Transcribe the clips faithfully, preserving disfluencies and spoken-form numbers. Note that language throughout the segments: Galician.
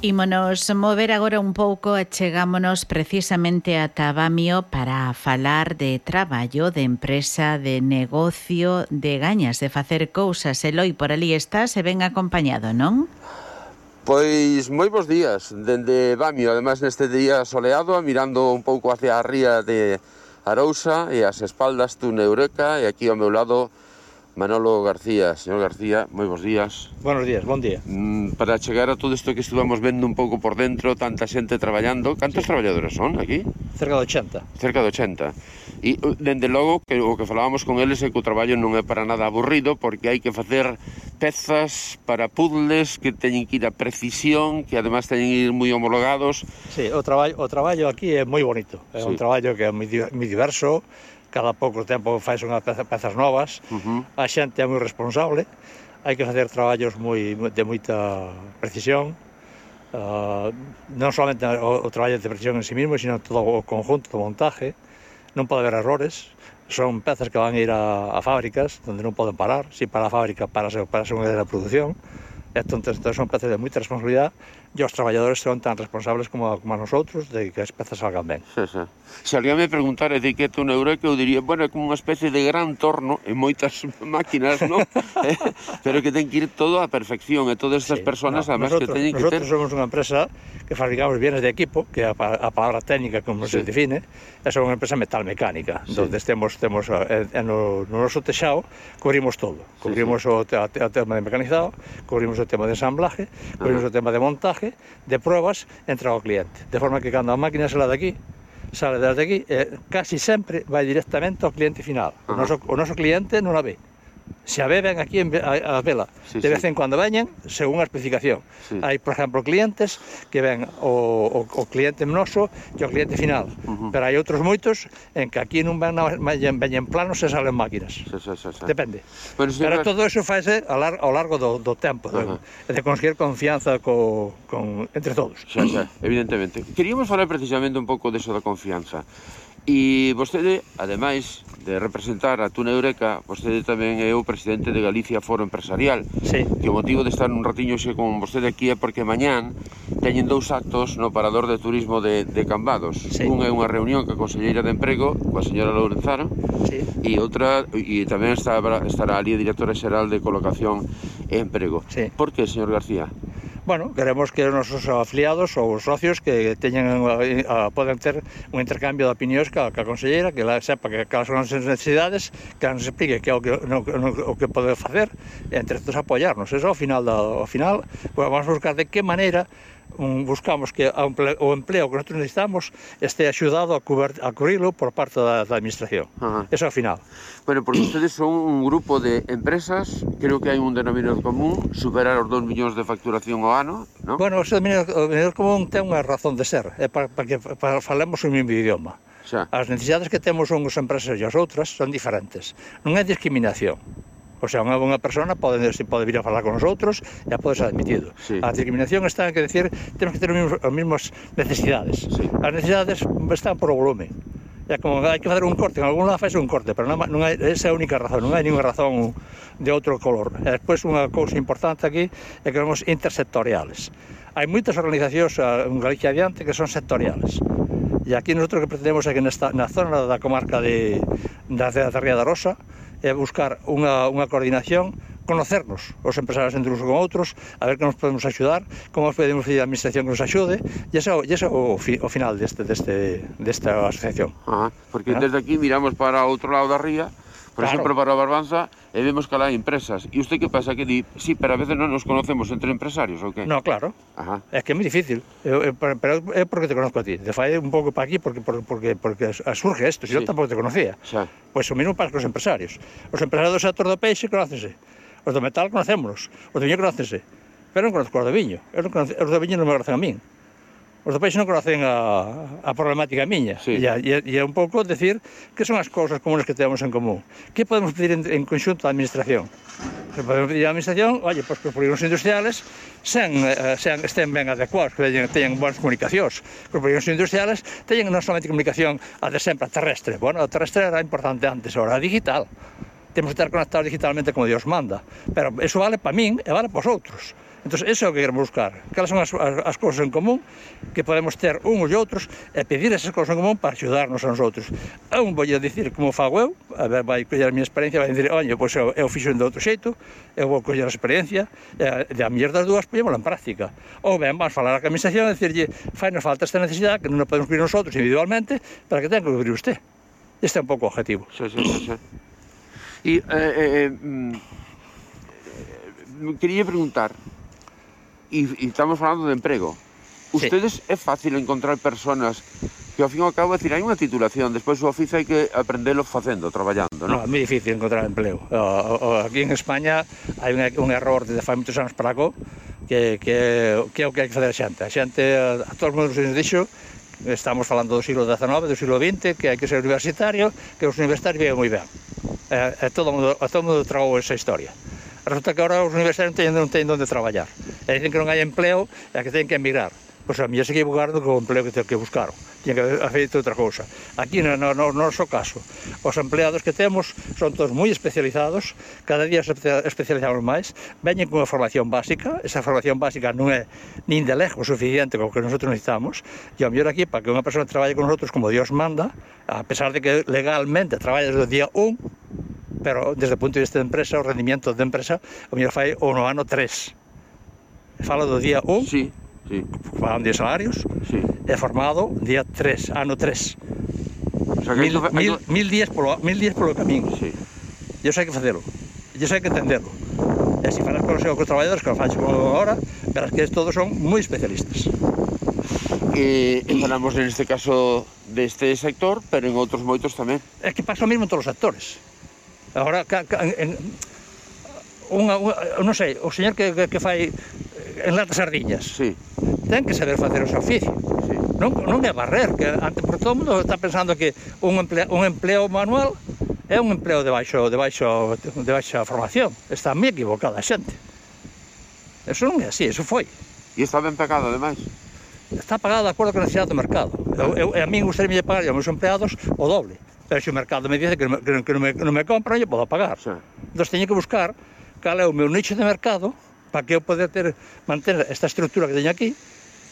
Ímonos mover agora un pouco e chegámonos precisamente a Tabamio para falar de traballo, de empresa, de negocio, de gañas de facer cousas. Eloi, por ali estás e ben acompañado, non? Pois moi bons días, dende Bamio, ademais neste día soleado, mirando un pouco hacia a ría de Arousa e as espaldas dun Eureka, e aquí ao meu lado Manolo García. Señor García, moi bons días. Buenos días, bon día. Mm, para chegar a todo isto que estuvamos vendo un pouco por dentro, tanta xente traballando, cantos sí. traballadores son aquí? Cerca de ochenta. Cerca de ochenta. E, dende logo, que o que falábamos con eles é que o traballo non é para nada aburrido, porque hai que facer pezas para puzzles que teñen que ir a precisión, que ademais teñen que ir moi homologados. Sí, o traballo, o traballo aquí é moi bonito. É sí. un traballo que é moi, moi diverso. Cada pouco tempo faz unhas peza, pezas novas, uh-huh. a xente é moi responsable, hai que facer traballos moi, de moita precisión, uh, non solamente o, o traballo de precisión en sí mismo, sino todo o conjunto do montaje, non pode haber errores, son pezas que van a ir a, a fábricas, onde non poden parar, se para a fábrica, para a segunda de produción, entonces, entonces son pezas de moita responsabilidade, e os traballadores son tan responsables como, como a nosotros de que as pezas salgan ben. Sí, sí. Se alguén me preguntara de que é un Eureka, eu diría, bueno, é como unha especie de gran torno en moitas máquinas, non? Pero que ten que ir todo a perfección, e todas estas sí, persoas, no, además, nosotros, que teñen que ter... Nosotros somos unha empresa que fabricamos bienes de equipo, que é a, a palabra técnica, como sí. se define, é unha empresa metalmecánica, sí. donde temos, temos en, no, no noso texao, cubrimos todo. Cubrimos sí, sí. O, a, a tema de mecanizado, cubrimos o tema de ensamblaje, cubrimos uh-huh. o tema de montaje, de pruebas, entrega ao cliente. De forma que cando a máquina sale de aquí, sale desde aquí, eh, casi sempre vai directamente ao cliente final. Uh-huh. O, noso, o noso cliente non a ve. Se a ve, ven aquí a, a vela. Sí, de vez sí. en cuando veñen, según a especificación. Sí. Hai, por exemplo, clientes que ven o, o, o cliente noso e o cliente final. Uh-huh. Pero hai outros moitos en que aquí non ven, veñen, veñen planos e salen máquinas. Sí, sí, sí, sí. Depende. Pero, si Pero todo eso faise ao largo, ao largo do, do tempo, uh-huh. de, de conseguir confianza co, con, entre todos. Xa, xa, evidentemente. Queríamos falar precisamente un pouco deso da confianza. E vostede, ademais de representar a Tuna Eureka, vostede tamén é o presidente de Galicia Foro Empresarial. Sí. Que o motivo de estar un ratiño xe con vostede aquí é porque mañán teñen dous actos no Parador de Turismo de, de Cambados. Sí. Un é unha reunión ca Conselleira de Emprego, coa señora Lourenzano, sí. e outra, e tamén estará, estará ali a Directora Xeral de Colocación e Emprego. Sí. Por que, señor García? Bueno, queremos que os nosos afiliados ou os socios que teñen a, a, poden ter un intercambio de opinións ca, ca conselleira, que la sepa que cales son as necesidades, que nos explique que é o que, no, no, o que pode facer, e entre todos apoiarnos. Eso ao final, da, ao final pues, vamos a buscar de que maneira um, buscamos que o empleo que nosotros necesitamos este axudado a, cuber, a cubrilo por parte da, da administración. Ajá. Eso ao final. Bueno, porque ustedes son un grupo de empresas, creo que hai un denominador común, superar os dos millóns de facturación ao ano, non? Bueno, ese denominador común ten unha razón de ser, é para, para que para falemos o mesmo idioma. Xa. As necesidades que temos unhas empresas e as outras son diferentes. Non é discriminación. O sea, unha unha persona pode, pode vir a falar con nosotros e pode ser admitido. Sí. A discriminación está en que decir, temos que ter as mesmas necesidades. Sí. As necesidades están por o volumen. É como hai que fazer un corte, en algún lado faz un corte, pero non, non hai, esa é a única razón, non hai ninguna razón de outro color. E despois unha cousa importante aquí é que somos intersectoriales. Hai moitas organizacións en Galicia adiante que son sectoriales. E aquí nosotros que pretendemos é que nesta, na zona da comarca de, da, da Ría da Rosa é buscar unha, unha coordinación, conocernos os empresarios entre uns con outros, a ver que nos podemos axudar, como podemos pedir a administración que nos axude, e ese é o, fi, o final deste, deste, desta asociación. Ajá, porque ¿Ah? Desde aquí miramos para o outro lado da ría, por claro. exemplo, para a Barbanza, e vemos que lá hai empresas. E usted que pasa? Que di, sí, pero a veces non nos conocemos entre empresarios, ou que? No, claro. Ajá. É que é moi difícil. Eu, eu, pero é porque te conozco a ti. Te fai un pouco para aquí porque, porque, porque surge isto. Si sí. Eu tampouco te conocía. Xa. Pois o mesmo pasa con os empresarios. Os empresarios do sector do peixe conócense. Os do metal conocémonos. Os do viño conócense. Pero non conozco os do viño. Eu non conozco, os do viño non me conocen a min. Os do peixe non conocen a, a problemática miña. Sí. E, e, e é un pouco decir que son as cousas comunes que temos en común. Que podemos pedir en, en conxunto á administración? Que podemos pedir á administración, oye, pois que os polígonos industriales sean, sean, estén ben adecuados, que teñan, teñan boas comunicacións. Que os polígonos industriales teñan non somente comunicación a de sempre, a terrestre. Bueno, a terrestre era importante antes, ahora a digital. Temos que estar conectados digitalmente como Dios manda. Pero eso vale para min e vale para os outros. Entón, iso é o que queremos buscar. Cales son as, as, as cousas en común que podemos ter uns e outros e pedir esas cousas en común para axudarnos a nosotros. A un vou a dicir como fago eu, a ver, vai coller a minha experiencia, vai dicir, oye, pois eu, eu fixo de outro xeito, eu vou coller a experiencia, e a mellor das dúas poñémola en práctica. Ou ben, vamos falar a administración e dicirlle, fai nos falta esta necesidade que non a podemos cubrir nosotros individualmente, para que tenga que cubrir usted. Este é un pouco o objetivo. Sí, sí, sí, sí. E eh, eh, mm, quería preguntar, e, e estamos falando de emprego, ustedes sí. É fácil encontrar personas que ao fin e ao cabo, decir, hai unha titulación, despois o oficio hai que aprendelo facendo, traballando, non? No, é moi difícil encontrar empleo. O, o, aquí en España hai un, un error desde fai moitos anos para acá, que, que, que é o que hai que fazer a xente. A xente, a, a todos os modos nos dixo, estamos falando do siglo dezenove, do siglo vinte, que hai que ser universitario, que os universitarios viven moi ben. E, e todo mundo, a todo mundo tragou esa historia. Resulta que agora os universitarios non teñen, non teñen onde traballar. E dicen que non hai empleo e que teñen que emigrar. Pois a mí se equivocaron co empleo que, que buscaron. Tiñen que haber feito outra cousa. Aquí, no, no, no noso caso, os empleados que temos son todos moi especializados, cada día se especializamos máis, veñen cunha formación básica, esa formación básica non é nin de lejos suficiente co que nosotros necesitamos, e ao mellor aquí, para que unha persona traballe con nosotros como Dios manda, a pesar de que legalmente traballa desde o día un, pero desde o punto de vista de empresa, o rendimiento de empresa, o mellor fai o no ano tres. Fala do día un, sí. Sí. Pagan diez salarios, sí. É formado día tres, ano tres. O sea, que mil, hay... mil, mil, días polo, mil días polo camiño. Sí. E iso hai que facelo. E iso hai que entenderlo. E se falas con os seus traballadores, que os faxo agora, verás que todos son moi especialistas. E, e falamos neste caso deste sector, pero en outros moitos tamén. É que pasa o mesmo en todos os sectores. Agora, ca, ca, en, unha, unha, non sei, o señor que, que, que fai enlata sardiñas, sí. Ten que saber facer o seu oficio, sí. non, non é barrer, que ante, por todo o mundo está pensando que un empleo, un empleo manual é un empleo de baixo, de baixo, de baixa formación. Está moi equivocada a xente. Eso non é así, eso foi. E está ben pagado, ademais? Está pagado de acordo con a necesidade do mercado. Eu, eu, a mí gustaría pagar aos meus empleados o doble, pero se o mercado me dice que non me, que non me, non me compra, eu podo pagar. Sí. Entón, teño que buscar cal é o meu nicho de mercado para que eu poder ter, manter esta estrutura que teño aquí,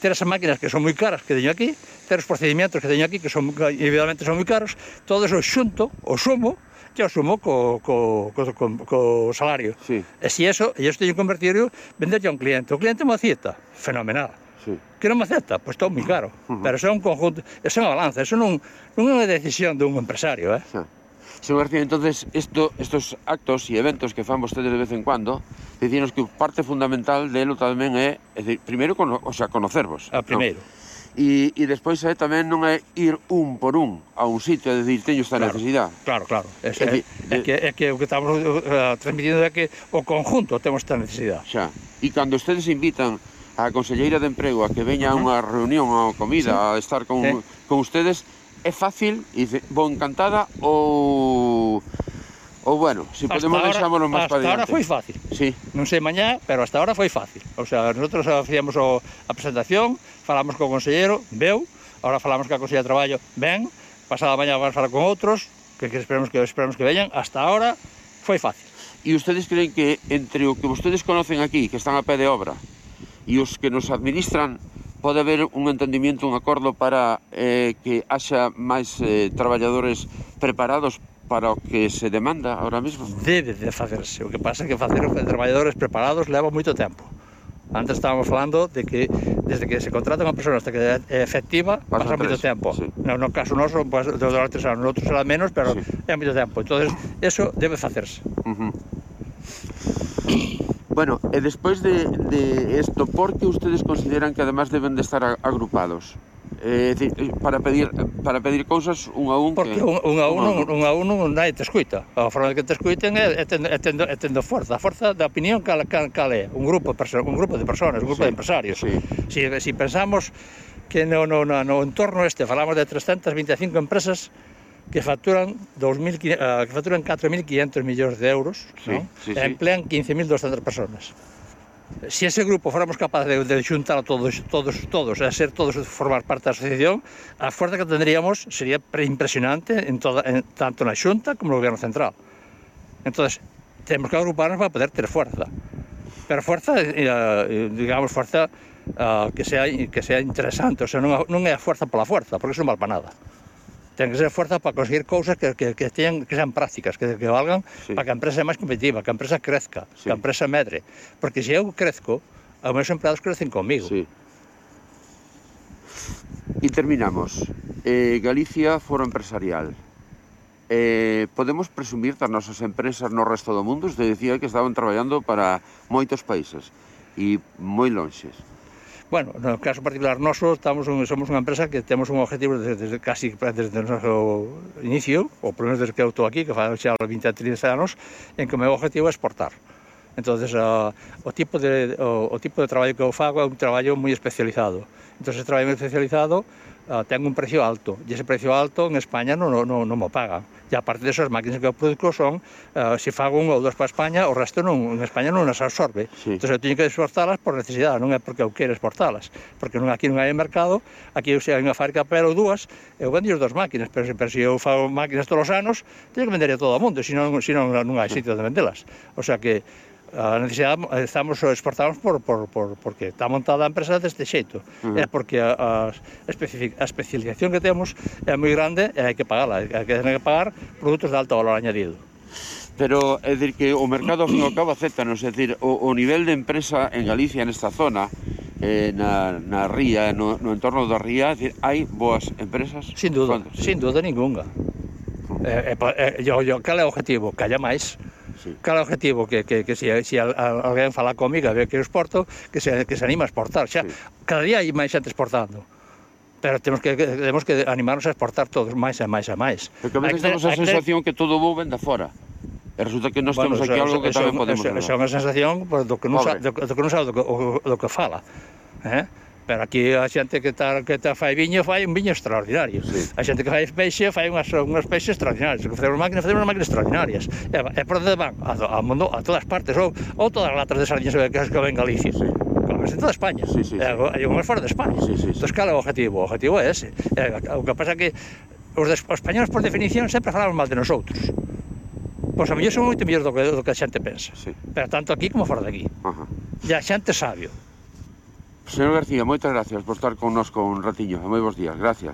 ter esas máquinas que son moi caras que teño aquí, ter os procedimentos que teño aquí que son, evidentemente son moi caros, todo eso xunto, o sumo, que o sumo co, co, co, co, co salario. Sí. E se eso, e isto teño que convertir, venderlle a un cliente. O cliente me acepta, fenomenal. Sí. Que non me acepta, pois está moi caro. Uh-huh. Pero eso é un conjunto, eso é unha balanza, eso non, non é unha decisión dun empresario, eh? Sí. Señor García, entonces, esto, estos actos e eventos que fan vostedes de vez en cuando, dicinos que parte fundamental delo tamén é, é decir, primeiro, cono, o sea, conocervos. A primeiro. No? E, e despois é tamén non é ir un por un a un sitio, é dicir, teño esta claro, necesidade. Claro, claro. É, é, é, é, que, é que o que estamos uh, transmitindo é que o conjunto temos esta necesidade. Xa. E cando ustedes invitan a Conselleira de Emprego a que veña a uh -huh. unha reunión ou comida, sí. a estar con, sí. con ustedes, é fácil, e dice, vou encantada, ou... ou bueno, se si podemos deixámonos máis para Hasta diante. ahora foi fácil. Sí. Non sei mañá, pero hasta ahora foi fácil. O sea, nosotros facíamos o, a presentación, falamos co consellero, veu, ahora falamos ca Conselleira de Traballo, ven, pasada mañá vamos falar con outros, que, que esperamos que esperamos que veñan, hasta ahora foi fácil. E ustedes creen que entre o que vostedes conocen aquí, que están a pé de obra, e os que nos administran, pode haber un entendimiento, un acordo para eh, que haxa máis eh, traballadores preparados para o que se demanda ahora mesmo? Debe de facerse. O que pasa é que facer os traballadores preparados leva moito tempo. Antes estábamos falando de que desde que se contrata unha persona hasta que é efectiva pasa, pasa moito tempo. Sí. No, no caso noso, pues, de durar tres anos, outros será menos, pero sí. É moito tempo. Entonces, eso debe facerse. Uh -huh. Bueno, e despois de, de esto, por que ustedes consideran que además deben de estar agrupados? Eh, para pedir para pedir cousas un a un? Porque que, un, un a un, un, un a un non nadie te escuita. A forma de que te escuiten é, é, tendo, é, tendo, é tendo forza. A forza da opinión cal, cal, cal é? Un grupo, un grupo de personas, un grupo sí, de empresarios. Sí. Si, si pensamos que no, no, no, no entorno este falamos de trescentas vinte e cinco empresas que facturan, dos mil, uh, que facturan catro mil quinhentos millóns de euros, sí, ¿no? Sí, e sí. emplean quince mil doscientas personas. Se ese grupo fóramos capaces de, de xuntar a todos, todos, todos, a ser todos formar parte da asociación, a fuerza que tendríamos sería impresionante en toda, en, tanto na Xunta como no Goberno Central. Entonces, temos que agruparnos para poder ter fuerza. Pero fuerza, digamos, fuerza que sea interesante, o sea, non é a fuerza pola fuerza, porque iso non vale para nada. Ten que ser fuerza para conseguir cousas que, que, que, teñan, que sean prácticas, que, que valgan sí. para que a empresa sea máis competitiva, que a empresa crezca, sí. que a empresa medre. Porque se eu crezco, os meus empleados crecen comigo. Sí. E terminamos. Eh, Galicia, foro empresarial. Eh, podemos presumir das nosas empresas no resto do mundo? Usted decía que estaban traballando para moitos países e moi lonxes. Bueno, no caso particular noso, estamos un, somos unha empresa que temos un objetivo desde, desde casi desde o noso inicio, ou por menos desde que eu estou aquí, que fa xa vinte a trinta anos, en que o meu objetivo é exportar. Entonces, uh, o, tipo de, o, o tipo de traballo que eu fago é un traballo moi especializado. Entonces, ese traballo moi especializado uh, ten un precio alto, e ese precio alto en España non, non, non mo pagan. E aparte de eso, as máquinas que eu produzo son, uh, se fago un ou dos para España, o resto non, en España non as absorbe. Sí. Entón, eu teño que exportalas por necesidade, non é porque eu quero exportalas, porque non, aquí non hai mercado, aquí se hai unha fábrica pero ou dúas, eu vendo as dos máquinas, pero se, pero se eu fago máquinas todos os anos, teño que vender a todo o mundo, senón, senón non hai sitio de vendelas. O sea que a necesidade, estamos exportamos por, por, por, porque está montada a empresa deste xeito. Uh -huh. É porque a, a especialización que temos é moi grande e hai que pagala, hai que, hai que pagar produtos de alto valor añadido. Pero, é dicir, que o mercado, ao fin e ao cabo, acéptanos, é dicir, o, o nivel de empresa en Galicia, nesta zona, eh, na, na ría, no, no entorno da ría, é dicir, hai boas empresas? Sin duda, sin duda ninguna. Eh, eh, yo, yo, cal é o objetivo? Que haya máis. Sí. Cal é o objetivo? Que, que, que se, se alguén fala comigo e ve que eu exporto, que se, que se anima a exportar. Xa, sí. Cada día hai máis xente exportando. Pero temos que, temos que animarnos a exportar todos máis e máis e máis. Porque a veces temos a sensación que todo vou vende fora. E resulta que nós bueno, temos aquí eso, algo que eso, tamén podemos eso, eso é unha sensación pues, do que non sabe do, do que non sabe do que, o, do que fala. Eh? Pero aquí a xente que está que está fai viño fai un viño extraordinario. Sí. A xente que fai peixe fai unhas unhas peixes extraordinarios. Que facemos máquinas, facemos máquinas extraordinarias. E, e por onde van? A, a mundo, a todas partes, ou, ou todas as latas de sardiñas que que ven en Galicia. Sí. Claro, en toda España. Sí, sí, sí. Hai unhas fora de España. Sí, sí, sí. Entón, cal é o objetivo? O objetivo é ese. E, o que pasa é que os, de, os españoles, por definición, sempre falamos mal de nosotros. Pois a mellor son moito mellor do que, do que a xente pensa. Sí. Pero tanto aquí como fora de aquí. Ajá. E a xente sabio. Señor García, moitas gracias por estar connosco un ratiño. Moi bons días, gracias.